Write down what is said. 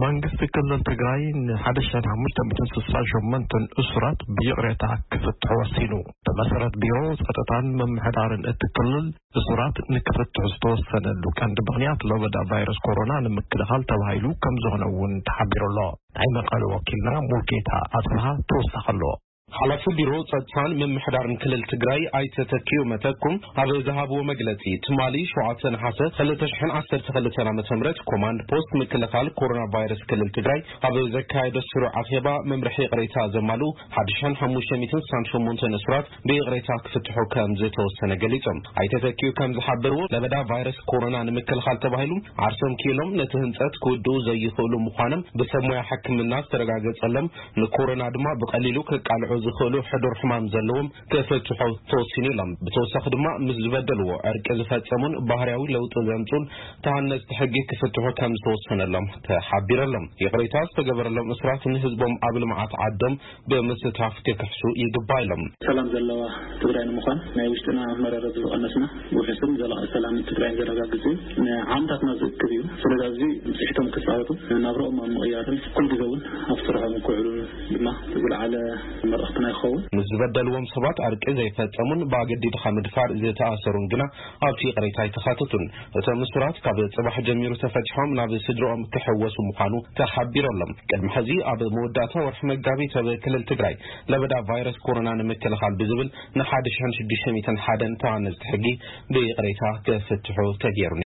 መንግስቲ ክልል ትግራይ ን1568 እሱራት ብይቕሬታ ክፍትሑ ወሲኑ። ብመሰረት ቢሮ ጸጥታን ምምሕዳርን እቲ ክልል፣ እሱራት ንክፍትሑ ዝተወሰነሉ ቀንዲ ምኽንያት ለበዳ ቫይረስ ኮሮና ንምክልኻል ተባሂሉ ከም ዝኾነ እውን ተሓቢሩ ኣሎ። ናይ መቐለ ወኪልና ሙልጌታ ኣጽብሃ ተወሳኺ ኣሎ። ሓላፊ ቢሮ ጸጥታን ምምሕዳርን ክልል ትግራይ ኣይተ ተኪዮ መተኩም ኣብ ዝሃብዎ መግለጺ፣ ትማሊ ሸውዓተ ነሓሰ ክልተ ሽሕን ዓሰርተ ክልተን ዓመተ ምህረት ኮማንድ ፖስት ምክልኻል ኮሮና ቫይረስ ክልል ትግራይ ኣብ ዘካየዶ ስሩዕ ኣኼባ፣ መምርሒ ይቕሬታ ዘማልኡ ሓደ ሽሕን ሓሙሽተ ሚእትን ስሳን ሸሞንተን እሱራት ብይቕሬታ ክፍትሑ ከም ዝተወሰነ ገሊጾም። ኣይተ ተኪዮ ከም ዝሓበርዎ፣ ለበዳ ቫይረስ ኮሮና ንምክልኻል ተባሂሉ ዓርሶም ክኢሎም ነቲ ህንጸት ክውድኡ ዘይኽእሉ ምዃኖም ብሰብ ሞያ ሕክምና ዝተረጋገጸሎም፣ ንኮሮና ድማ ብቐሊሉ ክቃልዑ ዝኽእሉ ሕዱር ሕማም ዘለዎም ክፍትሑ ተወሲኑ ኢሎም። ብተወሳኺ ድማ ምስ ዝበደልዎ ዕርቂ ዝፈጸሙን ባህርያዊ ለውጢ ዘምጹን ተሃነጽቲ ሕጊ ክፍትሑ ከም ዝተወሰነሎም ተሓቢረሎም። ይቕሬታ ዝተገበረሎም እሱራት ንህዝቦም ኣብ ልምዓት ዓዶም ብምስታፍ ክክሕሱ ይግባእ ኢሎም። ሰላም ዘለዋ ትግራይ ንምዃን ናይ ውሽጥና መረረት ዝቐነስና፣ ውሑስን ዘላቒ ሰላምን ትግራይ ዘረጋግጽ እዩ። ንዓመታትና ዝእክብ እዩ። ስለዚ ኣብዚ ብፅሒቶም ክፃወቱ፣ ናብራኦም ኣብ ምቕያርን ኩሉ ግዜ እውን ኣብ ስርሖም ክውዕሉ ድማ ዝለዓለ መልእኽትና ይኸውን። ምስ ዝበደልዎም ሰባት ዕርቂ ዘይፈጸሙን ብኣገዲድኻ ምድፋር ዝተኣሰሩን ግና ኣብቲ ይቕሬታ ኣይተኻተቱን። እቶም እሱራት ካብ ጽባሕ ጀሚሩ ተፈቲሖም ናብ ስድራኦም ክሕወሱ ምዃኑ ተሓቢሮሎም። ቅድሚ ሕዚ ኣብ መወዳእታ ወርሒ መጋቢት ኣብ ክልል ትግራይ ለበዳ ቫይረስ ኮሮና ንምክልኻል ብዝብል ን ሓደ ሽሕን ሽዱሽተ ሚእትን ሓደን ተሃነፅቲ ሕጊ ብይቕሬታ ክፍትሑ ተገይሩ